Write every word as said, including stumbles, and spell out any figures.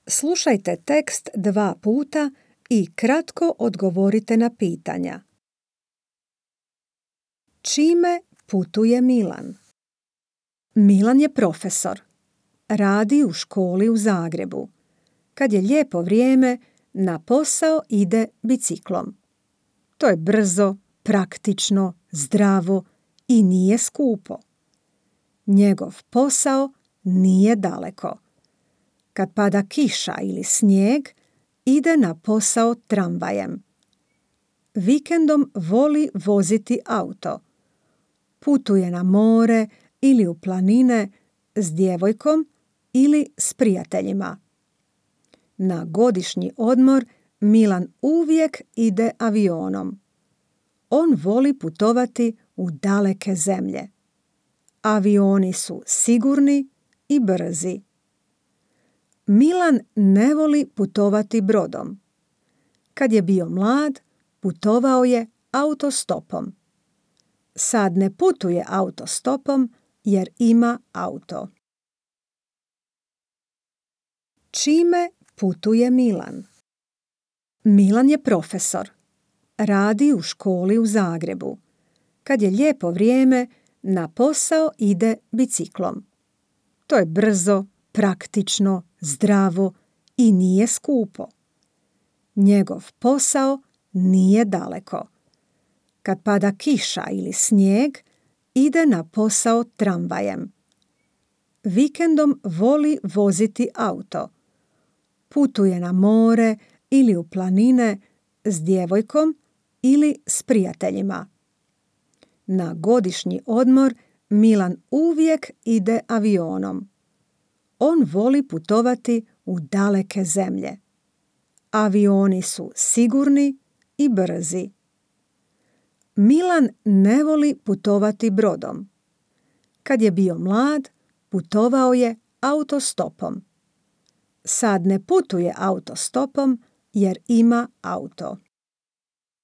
Slušajte tekst dva puta i kratko odgovorite na pitanja. Čime putuje Milan? Milan je profesor. Radi u školi u Zagrebu. Kad je lijepo vrijeme, na posao ide biciklom. To je brzo, praktično, zdravo i nije skupo. Njegov posao nije daleko. Kad pada kiša ili snijeg, ide na posao tramvajem. Vikendom voli voziti auto. Putuje na more ili u planine s djevojkom ili s prijateljima. Na godišnji odmor Milan uvijek ide avionom. On voli putovati u daleke zemlje. Avioni su sigurni i brzi. Milan ne voli putovati brodom. Kad je bio mlad, putovao je autostopom. Sad ne putuje autostopom jer ima auto. Čime putuje Milan? Milan je profesor. Radi u školi u Zagrebu. Kad je lijepo vrijeme, na posao ide biciklom. To je brzo, praktično, zdravo i nije skupo. Njegov posao nije daleko. Kad pada kiša ili snijeg, ide na posao tramvajem. Vikendom voli voziti auto. Putuje na more ili u planine s djevojkom ili s prijateljima. Na godišnji odmor Milan uvijek ide avionom. On voli putovati u daleke zemlje. Avioni su sigurni i brzi. Milan ne voli putovati brodom. Kad je bio mlad, putovao je autostopom. Sad ne putuje autostopom jer ima auto.